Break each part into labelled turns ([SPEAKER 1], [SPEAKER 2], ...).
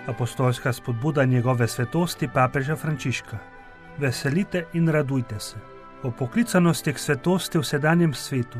[SPEAKER 1] Apostolska spodbuda njegove svetosti papeža Frančiška. Veselite in radujte se. O poklicanosti k svetosti v sedanjem svetu.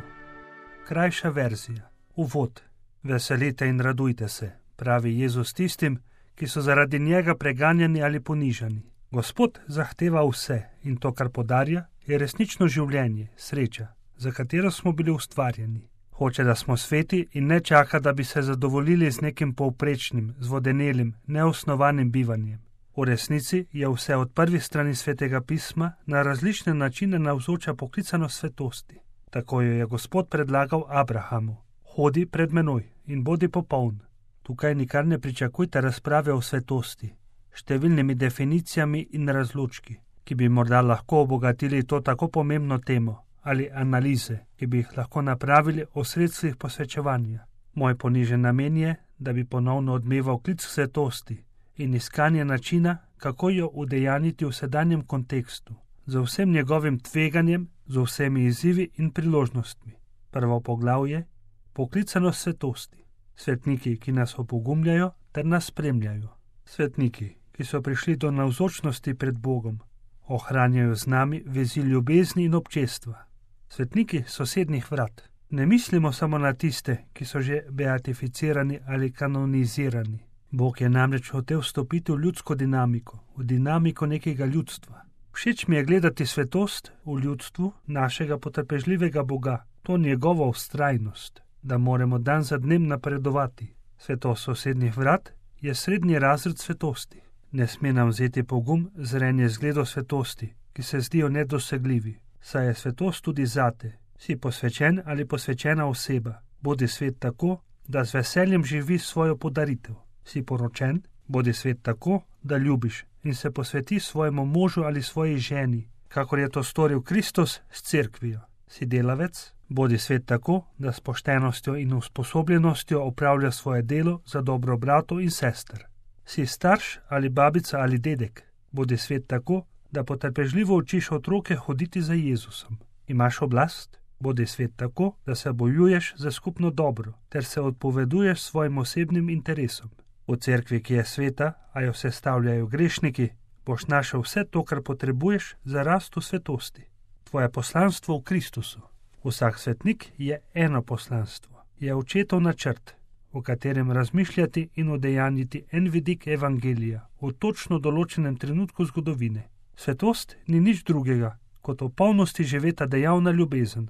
[SPEAKER 1] Krajša verzija. Uvod. Veselite in radujte se, pravi Jezus tistim, ki so zaradi njega preganjani ali ponižani. Gospod zahteva vse in to, kar podarja, je resnično življenje, sreča, za katero smo bili ustvarjeni. Hoče, da smo sveti in ne čaka, da bi se zadovoljili z nekim povprečnim, zvodenelim, neosnovanim bivanjem. V resnici je vse od prvih strani Svetega pisma na različne načine navzoča poklicanost svetosti. Tako jo je Gospod predlagal Abrahamu. Hodi pred menoj in bodi popoln. Tukaj nikar ne pričakujte razprave o svetosti, številnimi definicijami in razločki, ki bi morda lahko obogatili to tako pomembno temo, ali analize, ki bi jih lahko napravili o sredstvih posvečevanja. Moj ponižen namen je, da bi ponovno odmeval klic k svetosti in iskanje načina, kako jo udejaniti v sedanjem kontekstu, z vsem njegovim tveganjem, z vsemi izzivi in priložnostmi. Prvo poglavje: poklicanost svetosti. Svetniki, ki nas opogumljajo ter nas spremljajo. Svetniki, ki so prišli do navzočnosti pred Bogom, ohranjajo z nami vezi ljubezni in občestva. Svetniki sosednjih vrat. Ne mislimo samo na tiste, ki so že beatificirani ali kanonizirani. Bog je namreč hotel vstopiti v ljudsko dinamiko, v dinamiko nekega ljudstva. Všeč mi je gledati svetost v ljudstvu našega potrpežljivega Boga, to njegovo vztrajnost, da moramo dan za dnem napredovati. Svetost sosednjih vrat je srednji razred svetosti. Ne sme nam vzeti pogum zrenje zgledov svetosti, ki se zdijo nedosegljivi. Saj je svetost tudi zate. Si posvečen ali posvečena oseba. Bodi svet tako, da z veseljem živi svojo podaritev. Si poročen, bodi svet tako, da ljubiš in se posveti svojemu možu ali svoji ženi, kakor je to storil Kristus s cerkvijo. Si delavec, bodi svet tako, da s poštenostjo in usposobljenostjo opravlja svoje delo za dobro bratov in sester. Si starš ali babica ali dedek, bodi svet tako, da potrpežljivo učiš otroke hoditi za Jezusom. Imaš oblast, bodi svet tako, da se bojuješ za skupno dobro, ter se odpoveduješ svojim osebnim interesom. V cerkvi, ki je sveta, a jo sestavljajo grešniki, boš našel vse to, kar potrebuješ za rast v svetosti. Tvoje poslanstvo v Kristusu. Vsak svetnik je eno poslanstvo, je očetov načrt, v katerem razmišljati in udejanjiti en vidik evangelija v točno določenem trenutku zgodovine. Svetost ni nič drugega, kot v polnosti živeta dejavna ljubezen.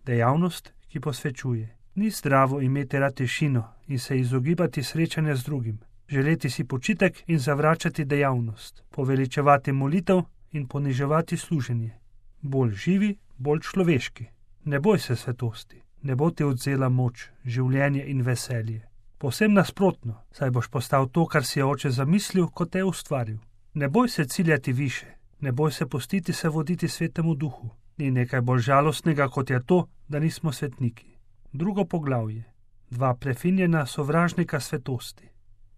[SPEAKER 1] Dejavnost, ki posvečuje. Ni zdravo imeti rad tišino in se izogibati srečanja z drugim, želeti si počitek in zavračati dejavnost, poveličevati molitev in poniževati služenje. Bolj živi, bolj človeški. Ne boj se svetosti, ne bo ti odzela moč, življenje in veselje. Povsem nasprotno, saj boš postal to, kar si je Oče zamislil, kot te ustvaril. Ne boj se ciljati više, ne boj se pustiti se voditi Svetemu Duhu. Ni nekaj bolj žalostnega, kot je to, da nismo svetniki. Drugo poglavje. Dva prefinjena sovražnika svetosti.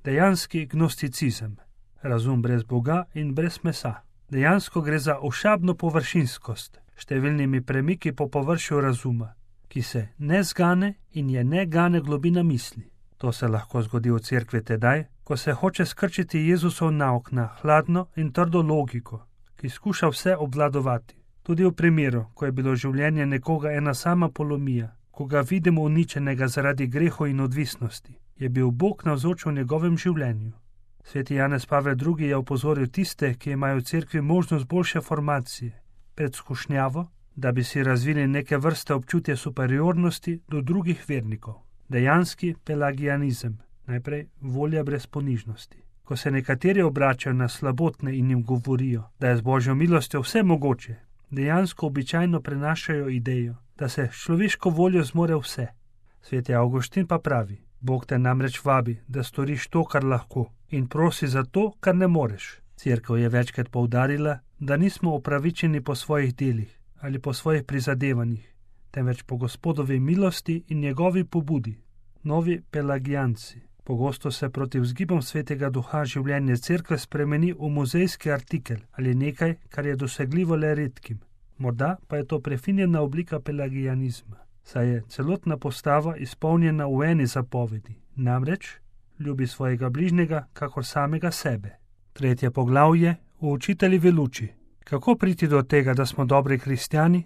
[SPEAKER 1] Dejanski gnosticizem. Razum brez Boga in brez mesa. Dejansko gre za ošabno površinskost, številnimi premiki po površju razuma, ki se ne zgane in je ne gane globina misli. To se lahko zgodi v cerkvi tedaj, ko se hoče skrčiti Jezusov nauk na hladno in trdo logiko, ki skuša vse obvladovati. Tudi v primeru, ko je bilo življenje nekoga ena sama polomija, ko ga vidimo uničenega zaradi grehov in odvisnosti, je bil Bog navzoč v njegovem življenju. Sveti Janez Pavel II. Je opozoril tiste, ki imajo v cerkvi možnost boljše formacije, pred skušnjavo, da bi si razvili neke vrste občutje superiornosti do drugih vernikov. Dejanski pelagianizem, najprej volja brez ponižnosti. Ko se nekateri obračajo na slabotne in jim govorijo, da je z Božjo milostjo vse mogoče, dejansko običajno prenašajo idejo, da se s človeško voljo zmore vse. Sveti Avguštin pa pravi: Bog te namreč vabi, da storiš to, kar lahko, in prosi za to, kar ne moreš. Cerkev je večkrat poudarila, da nismo opravičeni po svojih delih ali po svojih prizadevanjih, temveč po Gospodovi milosti in njegovi pobudi. Novi pelagijanci. Pogosto se proti vzgibom Svetega Duha življenje cerkve spremeni v muzejski artikel ali nekaj, kar je dosegljivo le redkim. Morda pa je to prefinjena oblika pelagijanizma, saj je celotna postava izpolnjena v eni zapovedi, namreč ljubi svojega bližnjega, kakor samega sebe. 3. poglavje o učiteljevi luči. Kako priti do tega, da smo dobri kristjani?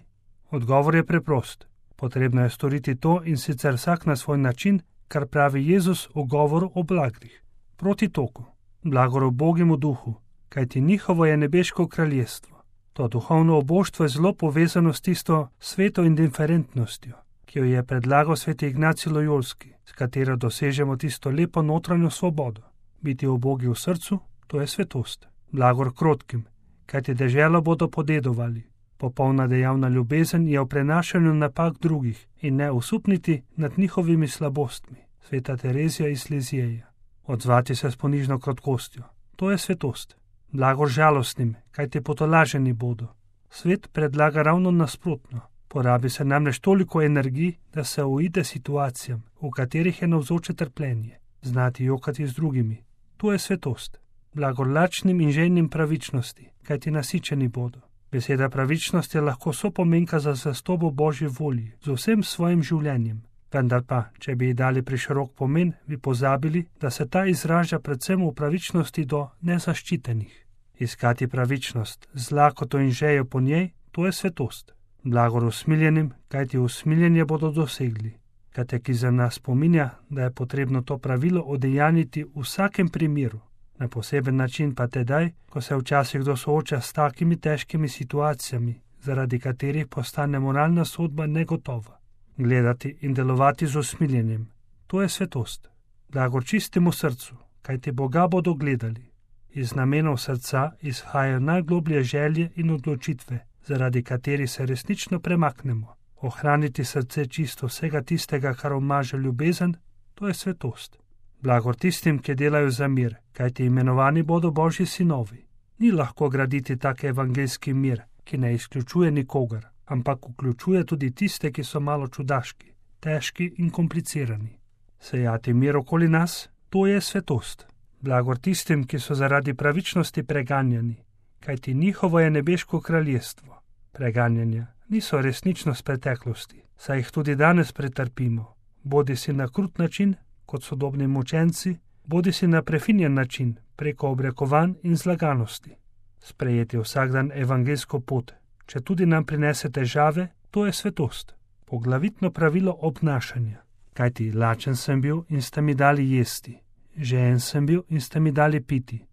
[SPEAKER 1] Odgovor je preprost. Potrebno je storiti to in sicer vsak na svoj način, kar pravi Jezus v govoru o blagrih. Proti toku. Blagor ubogemu duhu, kajti njihovo je nebeško kraljestvo. To duhovno oboštvo je zelo povezano s tisto sveto indiferentnostjo, ki jo je predlagal sveti Ignacij Lojolski, s katero dosežemo tisto lepo notranjo svobodo. Biti ubogi v srcu, to je svetost. Blagor krotkim, kajti deželo bodo podedovali. Popolna dejavna ljubezen je v prenašanju napak drugih in ne usupniti nad njihovimi slabostmi. Sveta Terezija iz Lizjeja. Odzvati se s ponižno krotkostjo, to je svetost. Blagor žalostnim, kajti potolaženi bodo. Svet predlaga ravno nasprotno. Porabi se namreč toliko energij, da se uide situacijam, v katerih je navzoče trpljenje. Znati jokati z drugimi, to je svetost. Blagor lačnim in željnim pravičnosti, kajti nasičeni bodo. Beseda pravičnost je lahko sopomenka za zvestobo Božji volji z vsem svojim življenjem. Vendar pa, če bi ji dali preširok pomen, bi pozabili, da se ta izraža predvsem v pravičnosti do nezaščitenih. Iskati pravičnost z lakoto in žejo po njej, to je svetost. Blagor usmiljenim, kajti usmiljenje bodo dosegli. Katekizem nas spominja, da je potrebno to pravilo odejaniti v vsakem primeru. Na poseben način pa tedaj, ko se včasih kdo sooča s takimi težkimi situacijami, zaradi katerih postane moralna sodba negotova. Gledati in delovati z usmiljenjem, to je svetost. Blagor čistemu srcu, kajti Boga bodo gledali. Iz namenov srca izhajajo najgloblje želje in odločitve, zaradi katerih se resnično premaknemo. Ohraniti srce čisto vsega tistega, kar omaže ljubezen, to je svetost. Blagor tistim, ki delajo za mir, kajti imenovani bodo Božji sinovi. Ni lahko graditi tak evangeljski mir, ki ne izključuje nikogar, ampak vključuje tudi tiste, ki so malo čudaški, težki in komplicirani. Sejati mir okoli nas, to je svetost. Blagor tistim, ki so zaradi pravičnosti preganjani, kajti njihovo je nebeško kraljestvo. Preganjanja niso resničnost preteklosti, saj jih tudi danes pretrpimo, bodi si na krut način, kot sodobni mučenci, bodi si na prefinjen način, preko obrekovanj in zlaganosti. Sprejeti vsak dan evangeljsko pot, če tudi nam prinese težave, to je svetost. Poglavitno pravilo obnašanja. Kajti lačen sem bil in ste mi dali jesti, žejen sem bil in ste mi dali piti,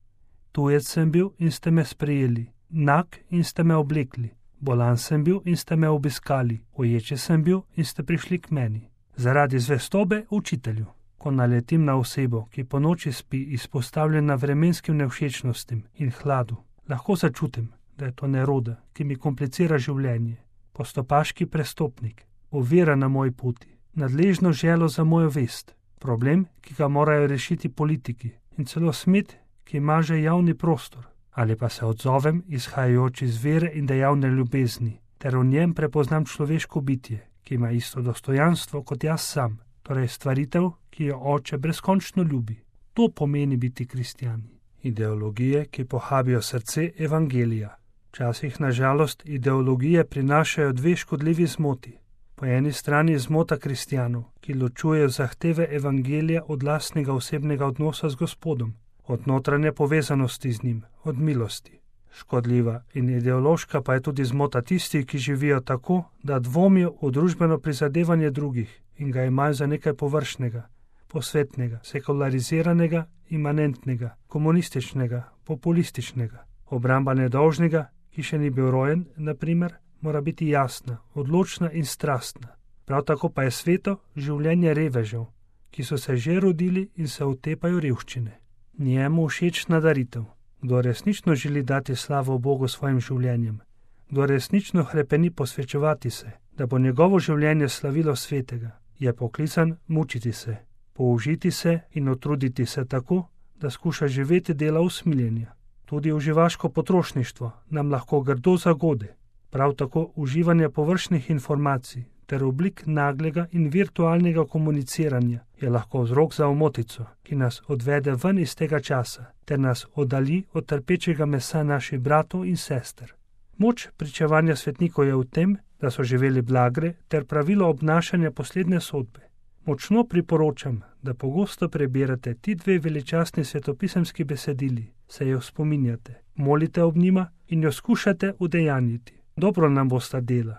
[SPEAKER 1] tujec sem bil in ste me sprejeli, nag in ste me oblekli, bolan sem bil in ste me obiskali, uječe sem bil in ste prišli k meni. Zaradi zvestobe učitelju. Ko naletim na osebo, ki po noči spi izpostavljena vremenskim nevšečnostim in hladu, lahko začutim, da je to neroda, ki mi komplicira življenje, postopaški prestopnik, ovira na moji poti, nadležno želo za mojo vest, problem, ki ga morajo rešiti politiki in celo smet, ki maže javni prostor, ali pa se odzovem izhajajoč iz vere in dejavne ljubezni, ter v njem prepoznam človeško bitje, ki ima isto dostojanstvo kot jaz sam, torej stvaritev, ki jo Oče brezkončno ljubi. To pomeni biti kristjani. Ideologije, ki pohabijo srce evangelija. Včasih, na žalost, ideologije prinašajo dve škodljivi zmoti. Po eni strani zmota kristjanov, ki ločujejo zahteve evangelija od lastnega osebnega odnosa z Gospodom, od notranje povezanosti z njim, od milosti. Škodljiva in ideološka pa je tudi zmota tistih, ki živijo tako, da dvomijo v družbeno prizadevanje drugih in ga imajo za nekaj površnega, posvetnega, sekulariziranega, imanentnega, komunističnega, populističnega. Obramba nedolžnega, ki še ni bil rojen, na primer, mora biti jasna, odločna in strastna. Prav tako pa je sveto življenje revežev, ki so se že rodili in se utepajo revščine. Njemu všečna daritev. Kdo resnično želi dati slavo Bogu svojim življenjem, kdo resnično hrepeni posvečevati se, da bo njegovo življenje slavilo svetega, je poklican mučiti se, použiti se in utruditi se tako, da skuša živeti dela usmiljenja. Tudi uživaško potrošništvo nam lahko grdo zagode, prav tako uživanje površnih informacij ter oblik naglega in virtualnega komuniciranja je lahko vzrok za omotico, ki nas odvede ven iz tega časa ter nas oddalji od trpečega mesa naših bratov in sester. Moč pričevanja svetnikov je v tem, da so živeli blagre ter pravilo obnašanja poslednje sodbe. Močno priporočam, da pogosto prebirate ti dve veličastni svetopisemski besedili, se jo spominjate, molite ob njima in jo skušate udejanjiti. Dobro nam bosta dela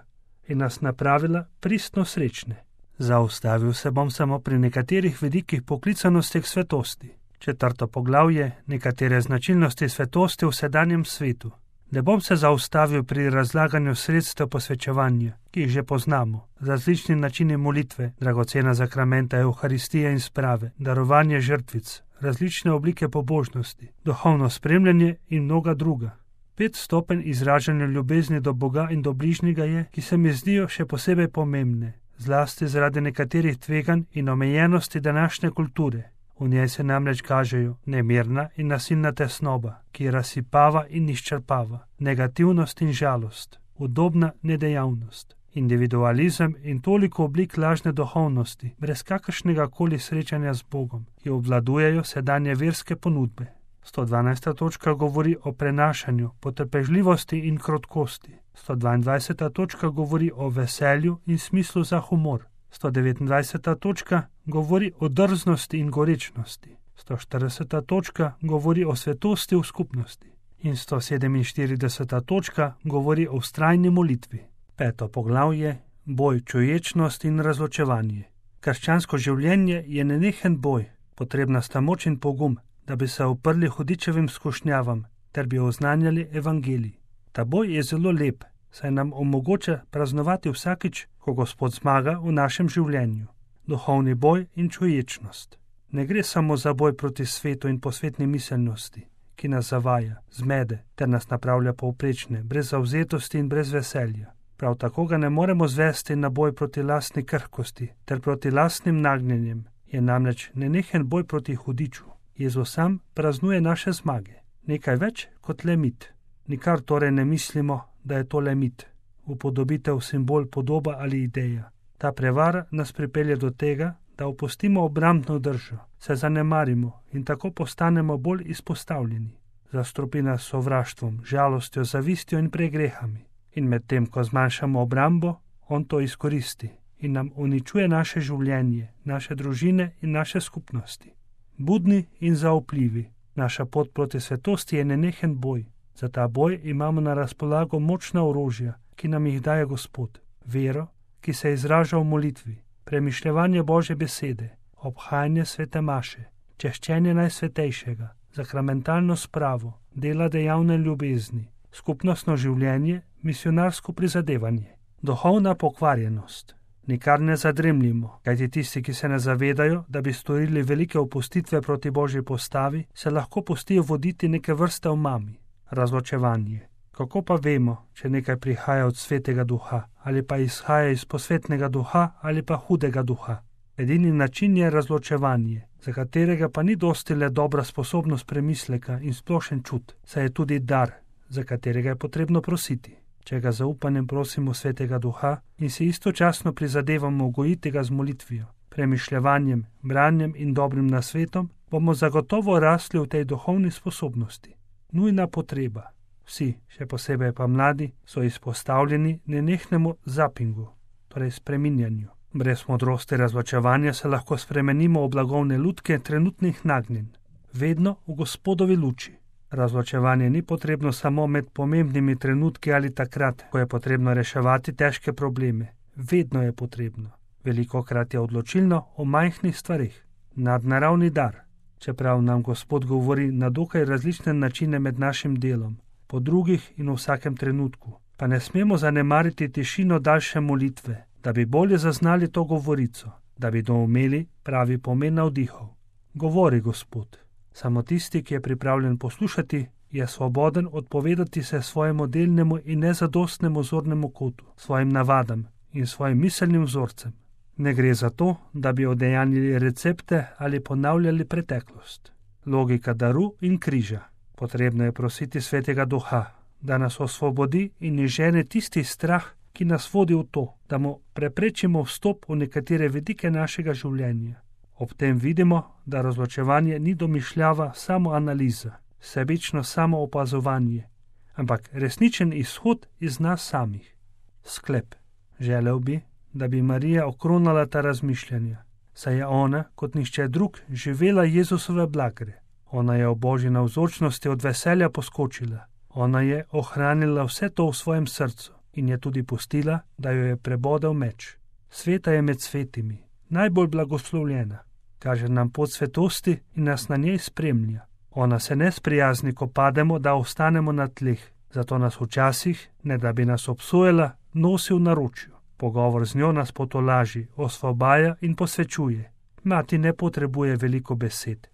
[SPEAKER 1] in nas napravila pristno srečne. Zaustavil se bom samo pri nekaterih vidikih poklicanosti k svetosti. 4. poglavje, nekatere značilnosti svetosti v sedanjem svetu. Ne bom se zaustavil pri razlaganju sredstev posvečevanja, ki jih že poznamo, različni načini molitve, dragocena zakramenta Evharistije in sprave, darovanje žrtvic, različne oblike pobožnosti, duhovno spremljanje in mnoga druga. 5 stopenj izražanja ljubezni do Boga in do bližnjega je, ki se mi zdijo še posebej pomembne, zlasti zaradi nekaterih tveganj in omejenosti današnje kulture. V njej se namreč kažejo nemirna in nasilna tesnoba, ki razsipava in izčrpava, negativnost in žalost, udobna nedejavnost, individualizem in toliko oblik lažne duhovnosti, brez kakršnega koli srečanja z Bogom, ki obvladujejo sedanje verske ponudbe. 112. točka govori o prenašanju, potrpežljivosti in krotkosti. 122. točka govori o veselju in smislu za humor. 129. točka govori o drznosti in gorečnosti. 140. točka govori o svetosti v skupnosti. In 147. točka govori o vztrajni molitvi. 5. poglavje, boj, čuječnost in razločevanje. Krščansko življenje je nenehen boj, potrebna sta moč in pogum, da bi se uprli hudičevim skušnjavam, ter bi oznanjali evangelij. Ta boj je zelo lep, saj nam omogoča praznovati vsakič, ko Gospod zmaga v našem življenju. Duhovni boj in čuječnost. Ne gre samo za boj proti svetu in posvetni miselnosti, ki nas zavaja, zmede, ter nas napravlja povprečne, brez zavzetosti in brez veselja. Prav tako ga ne moremo zvesti na boj proti lastni krhkosti, ter proti lastnim nagnjenjem, je namreč nenehen boj proti hudiču. Jezus sam praznuje naše zmage. Nekaj več kot le mit. Nikar torej ne mislimo, da je to le mit, upodobitev, simbol, podoba ali ideja. Ta prevara nas pripelje do tega, da opustimo obrambno držo, se zanemarimo in tako postanemo bolj izpostavljeni. Zastrupi nas sovraštvom, žalostjo, zavistjo in pregrehami. In medtem, ko zmanjšamo obrambo, on to izkoristi in nam uničuje naše življenje, naše družine in naše skupnosti. Budni in zaupljivi, naša pot proti svetosti je nenehen boj. Za ta boj imamo na razpolago močna orožja, ki nam jih daje Gospod. Vero, ki se izraža v molitvi, premišljevanje Božje besede, obhajanje svete maše, češčenje najsvetejšega, sakramentalno spravo, dela dejavne ljubezni, skupnostno življenje, misionarsko prizadevanje, duhovna pokvarjenost. Nikar ne zadremljimo, kajti tisti, ki se ne zavedajo, da bi storili velike opustitve proti Božji postavi, se lahko pustijo voditi neke vrste omami. Razločevanje. Kako pa vemo, če nekaj prihaja od svetega duha, ali pa izhaja iz posvetnega duha, ali pa hudega duha? Edini način je razločevanje, za katerega pa ni dosti le dobra sposobnost premisleka in splošen čut, saj je tudi dar, za katerega je potrebno prositi. Če ga zaupanjem prosimo svetega duha in si istočasno prizadevamo gojiti ga z molitvijo, premišljevanjem, branjem in dobrim nasvetom, bomo zagotovo rasli v tej duhovni sposobnosti. Nujna potreba. Vsi, še posebej pa mladi, so izpostavljeni nenehnemu zapingu, torej spreminjanju. Brez modrosti razločevanja se lahko spremenimo v blagovne lutke trenutnih nagnjenj. Vedno v Gospodovi luči. Razločevanje ni potrebno samo med pomembnimi trenutki ali takrat, ko je potrebno reševati težke probleme. Vedno je potrebno. Velikokrat je odločilno o majhnih stvarih. Nadnaravni dar. Čeprav nam Gospod govori na dokaj različne načine med našim delom, po drugih in v vsakem trenutku, pa ne smemo zanemariti tišino daljše molitve, da bi bolje zaznali to govorico, da bi doumeli pravi pomen navdihov. Govori Gospod. Samo tisti, ki je pripravljen poslušati, je svoboden odpovedati se svojemu delnemu in nezadostnemu zornemu kotu, svojim navadam in svojim miselnim vzorcem. Ne gre za to, da bi odejanili recepte ali ponavljali preteklost. Logika daru in križa. Potrebno je prositi svetega duha, da nas osvobodi in izžene tisti strah, ki nas vodi v to, da mu preprečimo vstop v nekatere vidike našega življenja. Ob tem vidimo, da razločevanje ni domišljava samo analiza, sebično samo opazovanje, ampak resničen izhod iz nas samih. Sklep. Želel bi, da bi Marija okronala ta razmišljanja. saj je ona, kot nihče drug, živela Jezusove blagre. Ona je v Božji navzočnosti od veselja poskočila. Ona je ohranila vse to v svojem srcu in je tudi pustila, da jo je prebodel meč. Sveta je med svetimi, najbolj blagoslovljena. Kaže nam pot svetosti in nas na njej spremlja. Ona se ne sprijazni, ko pademo, da ostanemo na tleh. Zato nas včasih, ne da bi nas obsojala, nosi v naročju. Pogovor z njo nas potolaži, osvobaja in posvečuje. Mati ne potrebuje veliko besed.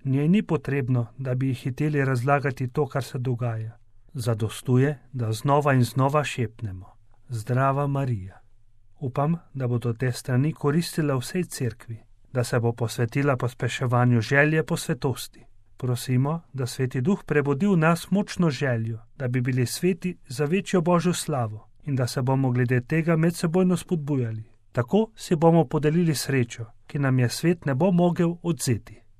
[SPEAKER 1] Njej ni potrebno, da bi ji hiteli razlagati to, kar se dogaja. Zadostuje, da znova in znova šepnemo. Zdrava Marija. Upam, da bodo te strani koristile vsej cerkvi, da se bo posvetila pospeševanju želje po svetosti. Prosimo, da Sveti Duh prebudi v nas močno željo, da bi bili sveti za večjo Božjo slavo in da se bomo glede tega medsebojno spodbujali. Tako si bomo podelili srečo, ki nam je svet ne bo mogel odvzeti.